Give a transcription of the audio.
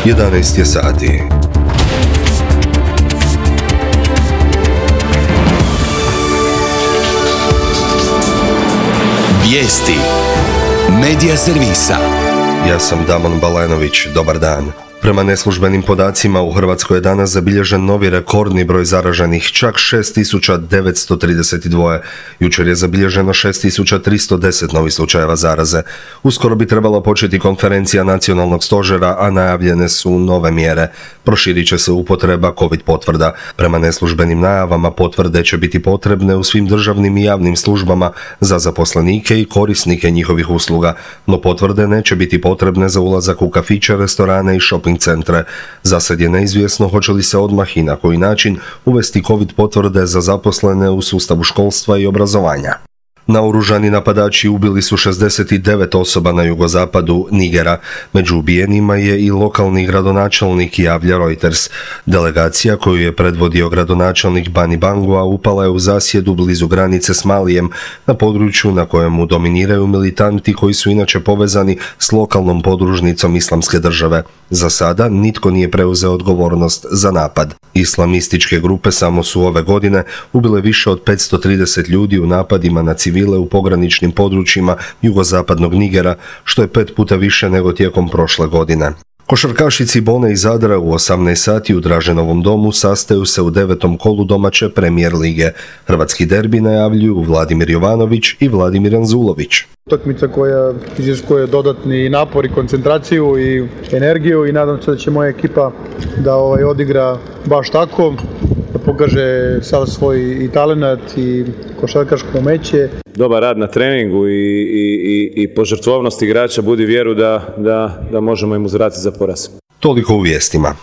11 je sati. Vijesti Medija servisa. Ja sam Damon Balenović, dobar dan. Prema neslužbenim podacima u Hrvatskoj je danas zabilježen novi rekordni broj zaraženih, čak 6.932. Jučer je zabilježeno 6.310 novih slučajeva zaraze. Uskoro bi trebala početi konferencija nacionalnog stožera, a najavljene su nove mjere. Proširit će se upotreba COVID potvrda. Prema neslužbenim najavama potvrde će biti potrebne u svim državnim i javnim službama za zaposlenike i korisnike njihovih usluga, no potvrde neće biti potrebne za ulazak u kafiće, restorane i shopping centre. Zasad je neizvjesno hoće li se odmah i na koji način uvesti COVID potvrde za zaposlene u sustavu školstva i obrazovanja. Naoružani napadači ubili su 69 osoba na jugozapadu Nigera. Među ubijenima je i lokalni gradonačelnik, javlja Reuters. Delegacija koju je predvodio gradonačelnik Bani Bangua upala je u zasjedu blizu granice s Malijem, na području na kojemu dominiraju militanti koji su inače povezani s lokalnom podružnicom Islamske države. Za sada nitko nije preuzeo odgovornost za napad. Islamističke grupe samo su ove godine ubile više od 530 ljudi u napadima na civile u pograničnim područjima jugozapadnog Nigera, što je 5 puta više nego tijekom prošle godine. Košarkaši Cibone iz Zadra u 18 sati u Draženovom domu sastaju se u 9. kolu domaće Premijer lige. Hrvatski derbi najavljuju Vladimir Jovanović i Vladimir Anzulović. Utakmica koja iziskuje dodatni napor i koncentraciju i energiju i nadam se da će moja ekipa da odigra baš tako, da pokaže sav svoj i talenat i košarkaško umeće. Dobar rad na treningu i požrtvovnost igrača budi vjeru da možemo im uzvratiti za poraz. Toliko u vijestima.